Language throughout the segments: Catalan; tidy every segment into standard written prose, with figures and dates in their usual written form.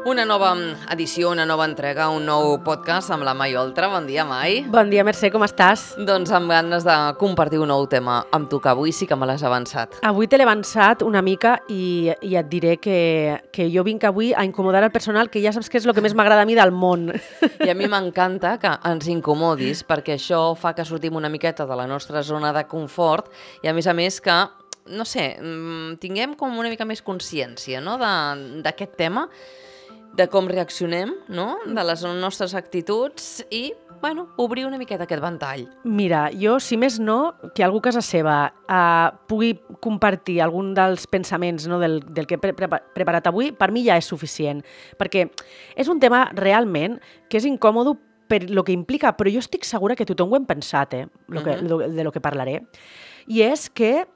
Una nova edició, una nova entrega, un nou podcast amb la Mai Oltra. Bon dia, Mai. Bon dia, Mercè, com estàs? Doncs amb ganes de compartir un nou tema amb tu, que avui sí que me l'has avançat. Avui te l'he avançat una mica i et diré que jo vinc avui a incomodar el personal, que ja saps que és el que més m'agrada a mi del món. I a mi m'encanta que ens incomodis, perquè això fa que sortim una miqueta de la nostra zona de confort i, a més que, no sé, tinguem com una mica més consciència, no?, d'aquest tema, de com reaccionem, no?, de les nostres actituds i, bueno, obrir una miqueta aquest ventall. Mira, jo, si més no, que algú a casa seva pugui compartir algun dels pensaments, no, del que he preparat avui, per mi ja és suficient, perquè és un tema realment que és incòmode per lo que implica, però jo estic segura que tothom ho hem pensat, de lo que parlaré, i és que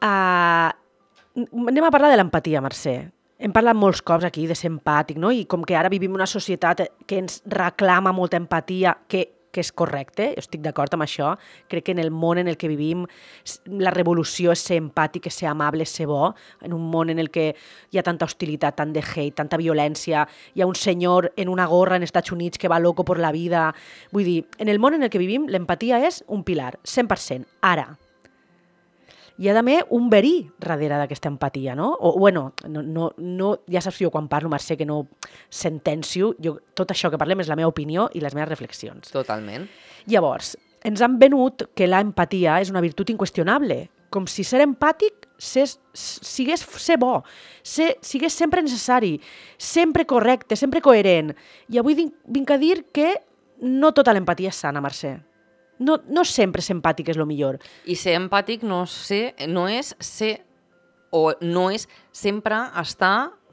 anem a parlar de l'empatia, Mercè. Hem parlat molts cops aquí de ser empàtic, no? I com que ara vivim una societat que ens reclama molta empatia, que és correcte, jo estic d'acord amb això. Crec que en el món en el que vivim la revolució és ser empàtic, és ser amable, és ser bo. En un món en el que hi ha tanta hostilitat, tant de hate, tanta violència, hi ha un senyor en una gorra en Estats Units que va loco por la vida. Vull dir, en el món en el que vivim l'empatia és un pilar, 100%. Ara, hi ha també un verí darrere d'aquesta empatia, no? O, bueno, no, ja saps jo quan parlo, Mercè, que no sentencio. Tot això que parlem és la meva opinió i les meves reflexions. Totalment. Llavors, ens han venut que l'empatia és una virtut inqüestionable, com si ser empàtic sigués ser bo, sigués sempre necessari, sempre correcte, sempre coherent. I avui vinc a dir que no tota l'empatia és sana, Mercè. No sempre ser empàtic és el millor. I ser empàtic no és sempre estar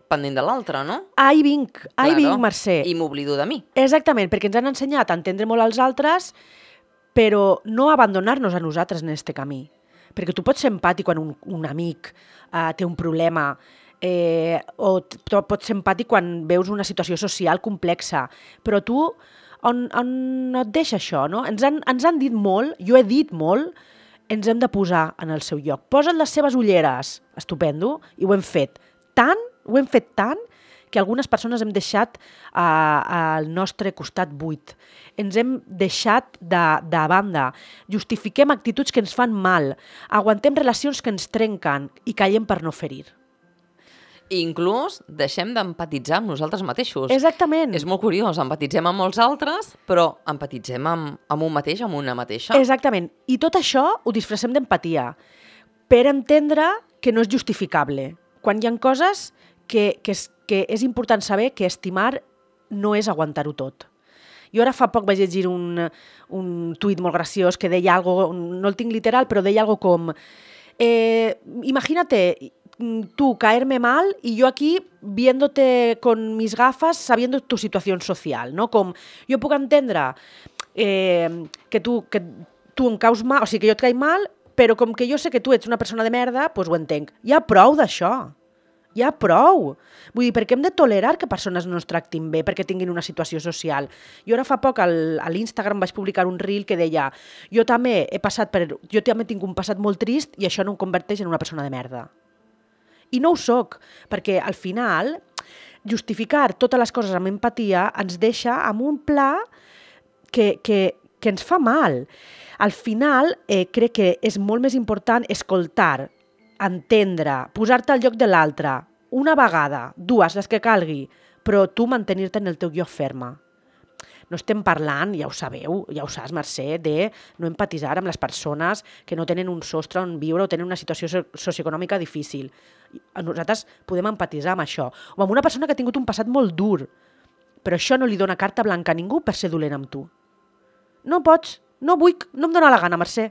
pendent de l'altre, no? Ahí vinc, Mercè. I m'oblido de mi. Exactament, perquè ens han ensenyat a entendre molt als altres, però no abandonar-nos a nosaltres en aquest camí. Perquè tu pots ser empàtic quan un amic té un problema, o pots ser empàtic quan veus una situació social complexa, però tu on et deixa això, no? Ens han dit molt, jo he dit molt, ens hem de posar en el seu lloc. Posa't les seves ulleres, estupendo, i ho hem fet tant, que algunes persones hem deixat al nostre costat buit. Ens hem deixat de banda. Justifiquem actituds que ens fan mal, aguantem relacions que ens trenquen i callem per no ferir. I inclús deixem d'empatitzar amb nosaltres mateixos. Exactament. És molt curiós, empatitzem amb molts altres, però empatitzem amb un mateix, amb una mateixa. Exactament. I tot això ho disfressem d'empatia, per entendre que no és justificable. Quan hi ha coses que és important saber que estimar no és aguantar-ho tot. Jo ara fa poc vaig llegir un tuit molt graciós que deia algo, no el tinc literal, però deia algo com imagínate tú caerme mal y yo aquí viéndote con mis gafas sabiendo tu situación social, no? Com jo puc entendre que tu em caus mal, o sigui, que jo et caig mal, però com que jo sé que tu ets una persona de merda, doncs ho entenc. Ja prou d'això. Ja prou. Vull dir, per què hem de tolerar que persones no ens tractin bé perquè tinguin una situació social? Jo ara fa poc a l'Instagram vaig publicar un reel que deia jo també tinc un passat molt trist i això no em converteix en una persona de merda. I no ho soc, perquè al final justificar totes les coses amb empatia ens deixa amb un pla que ens fa mal. Al final crec que és molt més important escoltar, entendre, posar-te al lloc de l'altre, una vegada, dues, les que calgui, però tu mantenir-te en el teu lloc ferma. No estem parlant, ja ho sabeu, ja ho saps, Mercè, de no empatitzar amb les persones que no tenen un sostre on viure o tenen una situació socioeconòmica difícil. Nosaltres podem empatitzar amb això. O amb una persona que ha tingut un passat molt dur, però això no li dona carta blanca a ningú per ser dolent amb tu. No pots, no em dóna la gana, Mercè.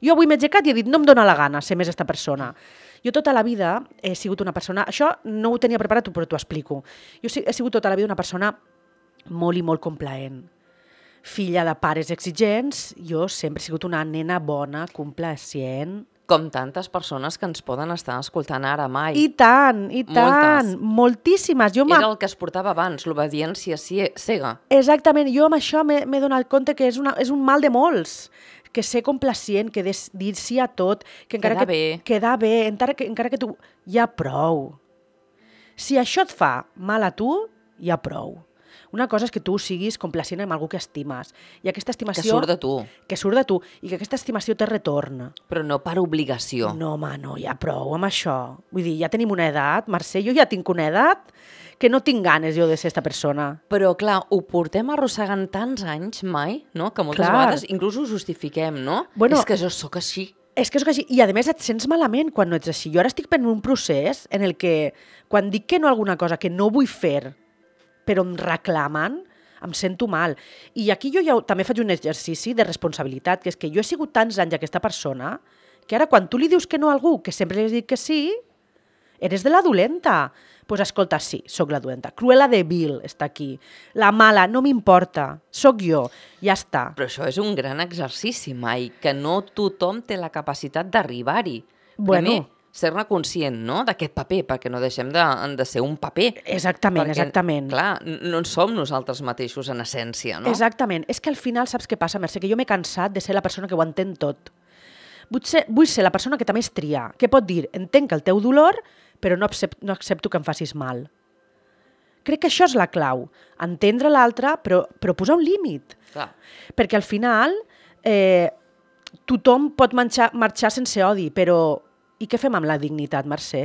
Jo avui m'he aixecat i he dit no em dóna la gana ser més esta persona. Jo tota la vida he sigut una persona, això no ho tenia preparat, però t'ho explico. Jo he sigut tota la vida una persona molt i molt complaent. Filla de pares exigents, jo sempre he sigut una nena bona, complacient. Com tantes persones que ens poden estar escoltant ara, Mai. I tant, moltíssimes. Era el que es portava abans, l'obediència cega. Exactament, jo amb això m'he donat compte que és un mal de molts, que ser complacient, que dir sí a tot, que encara quedar bé, encara que tu... Ja prou. Si això et fa mal a tu, ja prou. Una cosa és que tu siguis complacient amb algú que estimes. I aquesta estimació... Que surt de tu. Que surt de tu. I que aquesta estimació té retorn. Però no per obligació. No, home, no, ja prou amb això. Vull dir, ja tenim una edat, Mercè, jo ja tinc una edat que no tinc ganes jo de ser esta persona. Però, clar, ho portem arrossegant tants anys mai, no? Que moltes vegades inclús ho justifiquem, no? Bueno, és que jo sóc així. És que és així. I, a més, et sents malament quan no ets així. Jo ara estic en un procés en el que, quan dic que no a alguna cosa que no vull fer, però em reclamen, em sento mal. I aquí jo ja també faig un exercici de responsabilitat, que és que jo he sigut tants anys aquesta persona que ara quan tu li dius que no a algú, que sempre li has dit que sí, eres de la dolenta. Doncs pues escolta, sí, sóc la dolenta. Cruella de Vil està aquí. La mala, no m'importa. Sóc jo. Ja està. Però això és un gran exercici, mai, que no tothom té la capacitat d'arribar-hi. Bueno. Primer, ser-ne conscient, no?, d'aquest paper, perquè no deixem de ser un paper. Exactament, perquè, exactament. Clar, no en som nosaltres mateixos en essència, no? Exactament. És que al final saps què passa, Mercè? Que jo m'he cansat de ser la persona que ho entén tot. Vull ser la persona que també es tria, que pot dir, entenc el teu dolor, però no accepto que em facis mal. Crec que això és la clau. Entendre l'altre, però posar un límit. Clar. Perquè al final tothom pot marxar sense odi, però i què fem amb la dignitat, Mercè?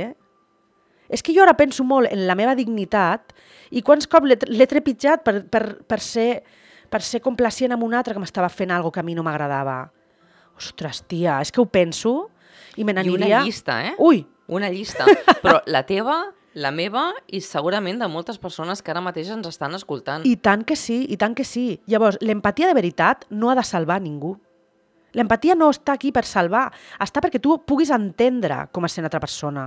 És que jo ara penso molt en la meva dignitat i quants cops l'he trepitjat per ser complacient amb un altre que m'estava fent alguna cosa que a mi no m'agradava. Ostres, tia, és que ho penso i me n'aniria... I una llista, eh? Ui! Una llista. Però la teva, la meva i segurament de moltes persones que ara mateix ens estan escoltant. I tant que sí, i tant que sí. Llavors, l'empatia de veritat no ha de salvar ningú. L'empatia no està aquí per salvar, està perquè tu puguis entendre com és una altra persona.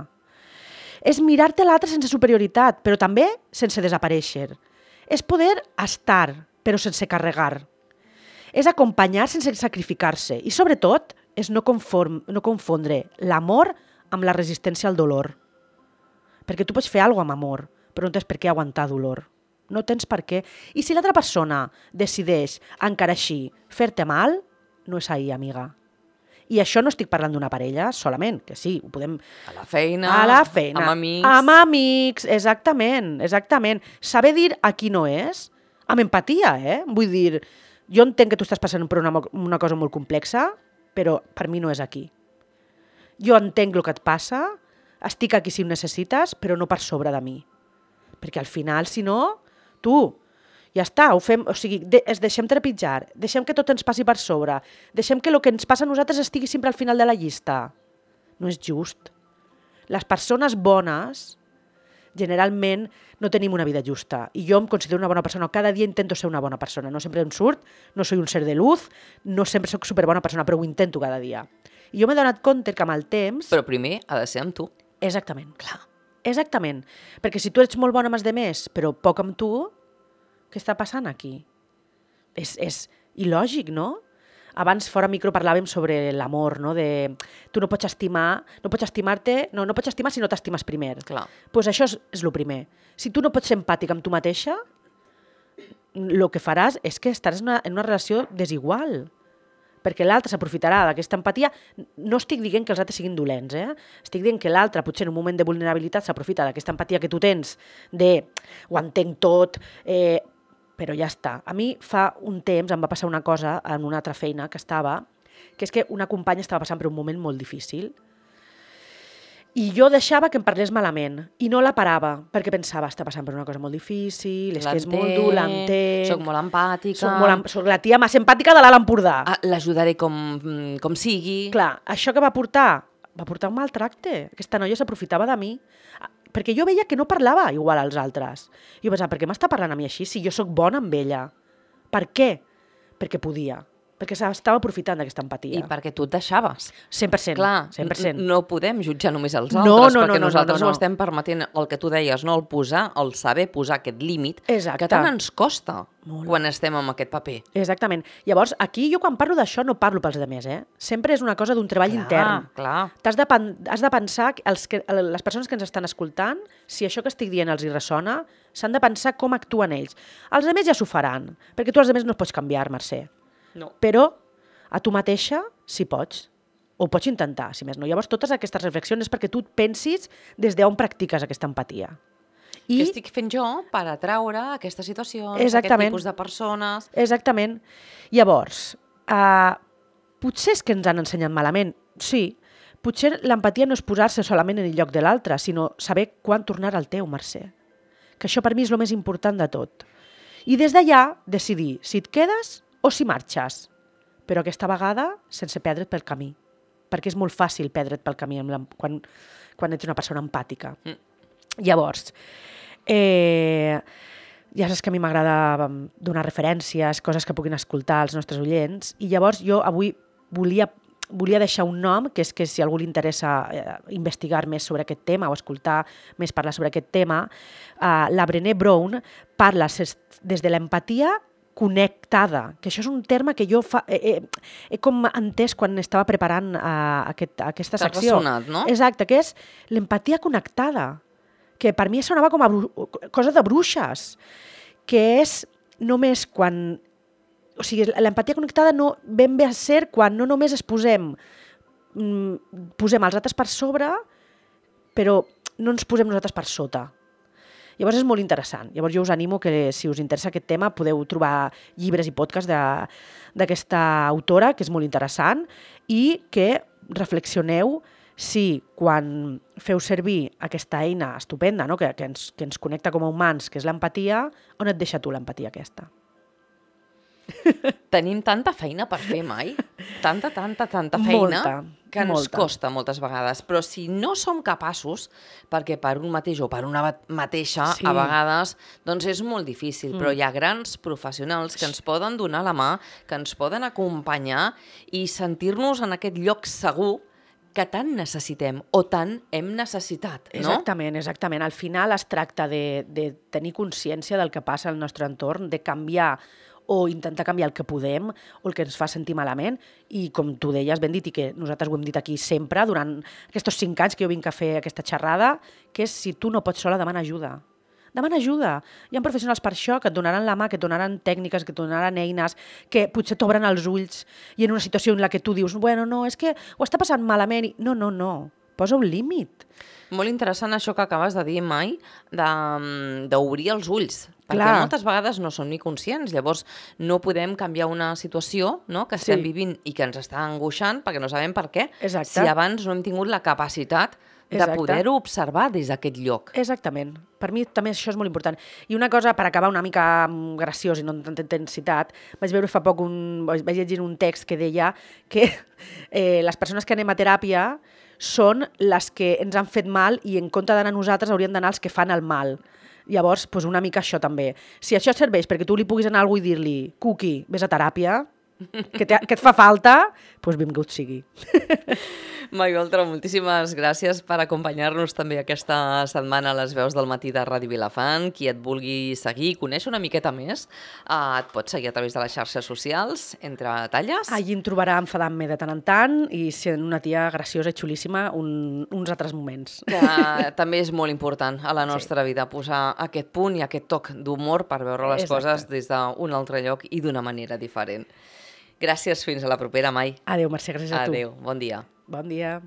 És mirar-te l'altre sense superioritat, però també sense desaparèixer. És poder estar, però sense carregar. És acompanyar sense sacrificar-se. I sobretot, és no confondre l'amor amb la resistència al dolor. Perquè tu pots fer alguna cosa amb amor, però no tens per què aguantar dolor. No tens per què. I si l'altra persona decideix, encara així, fer-te mal, no és ahir, amiga. I això no estic parlant d'una parella solament, que sí, ho podem... A la feina, amb amics... Amb amics, exactament, exactament. Saber dir a qui no és, amb empatia, Vull dir, jo entenc que tu estàs passant per una cosa molt complexa, però per mi no és aquí. Jo entenc el que et passa, estic aquí si ho necessites, però no per sobre de mi. Perquè al final, si no, tu... Ja està, ho fem, o sigui, deixem trepitjar, deixem que tot ens passi per sobre, deixem que el que ens passa a nosaltres estigui sempre al final de la llista. No és just. Les persones bones, generalment, no tenim una vida justa. I jo em considero una bona persona. Cada dia intento ser una bona persona. No sempre em surt, no soy un ser de luz, no sempre soc superbona persona, però ho intento cada dia. I jo m'he donat compte que amb el temps... Però primer ha de ser amb tu. Exactament. Clar. Exactament. Perquè si tu ets molt bona amb els demés, però poc amb tu... Què està passant aquí? És il·lògic, no? Abans, fora micro, parlàvem sobre l'amor, no? De tu no pots estimar, no pots estimar si no t'estimes primer. Clar. Pues això és el primer. Si tu no pots ser empàtic amb tu mateixa, el que faràs és que estaràs en una relació desigual. Perquè l'altre s'aprofitarà d'aquesta empatia. No estic dient que els altres siguin dolents, Estic dient que l'altre, potser en un moment de vulnerabilitat, s'aprofita d'aquesta empatia que tu tens de ho entenc tot, però ja està. A mi fa un temps em va passar una cosa en una altra feina que estava, que és que una companya estava passant per un moment molt difícil i jo deixava que em parlés malament i no la parava perquè pensava, està passant per una cosa molt difícil, és que és molt dur, l'entenc... Soc molt empàtica... Soc la tia més empàtica de l'Alt Empordà. L'ajudaré com sigui... Clar, això que va portar un maltracte. Aquesta noia s'aprofitava de mi. Perquè jo veia que no parlava igual als altres. Jo pensava, per què m'està parlant a mi així si jo sóc bona amb ella? Per què? Perquè podia. Perquè s'estava aprofitant d'aquesta empatia. I perquè tu et deixaves. 100%. Clar, 100%. No podem jutjar només els altres, perquè nosaltres no. ho estem permetent, el que tu deies, no? El saber posar aquest límit, exacte, que tant ens costa molt quan estem en aquest paper. Exactament. Llavors, aquí jo quan parlo d'això no parlo pels altres, Sempre és una cosa d'un treball intern. Clar. Has de pensar, les persones que ens estan escoltant, si això que estic dient els hi ressona, s'han de pensar com actuen ells. Els altres ja s'ho faran, perquè tu els altres no els pots canviar, Mercè. No. Però a tu mateixa sí pots, o pots intentar, si més no. Llavors, totes aquestes reflexions és perquè tu pensis des d'on practiques aquesta empatia. Què estic fent jo per atraure aquestes situacions, Exactament. aquest tipus de persones? Exactament. Llavors, potser és que ens han ensenyat malament, sí. Potser l'empatia no és posar-se solament en el lloc de l'altre, sinó saber quan tornar al teu, Mercè. Que això per mi és el més important de tot. I des d'allà decidir si et quedes o si marxes. Però aquesta vegada sense perdre't pel camí. Perquè és molt fàcil perdre't pel camí quan ets una persona empàtica. Llavors, ja saps que a mi m'agrada donar referències, coses que puguin escoltar els nostres oients, i llavors jo avui volia deixar un nom, que és que si a algú li interessa investigar més sobre aquest tema o escoltar més parlar sobre aquest tema, la Brené Brown parla des de l'empatia connectada, que això és un terme que jo he com entès quan estava preparant aquesta secció. T'ha ressonat, no? Exacte, que és l'empatia connectada, que per mi sonava com a cosa de bruixes, que és només quan... O sigui, l'empatia connectada no ben bé a ser quan no només posem els altres per sobre, però no ens posem nosaltres per sota. Llavors és molt interessant. Llavors jo us animo que si us interessa aquest tema podeu trobar llibres i podcasts d'aquesta autora, que és molt interessant, i que reflexioneu si quan feu servir aquesta eina estupenda, no? que ens connecta com a humans, que és l'empatia, on et deixa tu l'empatia aquesta? Tenim tanta feina per fer mai, tanta feina, que ens costa moltes vegades. Però si no som capaços, perquè per un mateix o per una mateixa, a vegades, doncs és molt difícil. Però hi ha grans professionals que ens poden donar la mà, que ens poden acompanyar i sentir-nos en aquest lloc segur que tant necessitem o tant hem necessitat, no? Exactament. Al final es tracta de tenir consciència del que passa al nostre entorn, de canviar o intentar canviar el que podem o el que ens fa sentir malament, i com tu deies, ben dit, i que nosaltres ho hem dit aquí sempre, durant aquests 5 anys que jo vinc a fer aquesta xerrada, que és si tu no pots sola, demana ajuda. Demana ajuda. Hi ha professionals per això que et donaran la mà, que et donaran tècniques, que et donaran eines, que potser t'obren els ulls i en una situació en la que tu dius, bueno, no, és que ho està passant malament. No. Posa un límit. Molt interessant això que acabes de dir, Mai, d'obrir els ulls. Perquè moltes vegades no som ni conscients, llavors no podem canviar una situació, no?, que estem vivint i que ens està angoixant perquè no sabem per què, si abans no hem tingut la capacitat de poder-ho observar des d'aquest lloc. Exactament. Per mi també això és molt important. I una cosa, per acabar una mica graciós i no amb tanta intensitat, vaig veure fa poc vaig llegir un text que deia que les persones que anem a teràpia són les que ens han fet mal i en compte d'anar a nosaltres haurien d'anar els que fan el mal. Llavors, doncs una mica això també. Si això serveix perquè tu li puguis anar a algú i dir-li Cuqui, vés a teràpia, que et fa falta, doncs benvingut sigui. Mai Oltra, moltíssimes gràcies per acompanyar-nos també aquesta setmana a les veus del matí de Ràdio Vilafant. Qui et vulgui seguir, conèixer una miqueta més, et pot seguir a través de les xarxes socials, entre talles. Allí em trobarà enfadant-me de tant en tant i sent una tia graciosa i xulíssima uns altres moments. Que també és molt important a la nostra vida posar aquest punt i aquest toc d'humor per veure les coses des d'un altre lloc i d'una manera diferent. Gràcies, fins a la propera, Mai. Adéu, Mercè, gràcies a tu. Adéu, bon dia. Bon dia.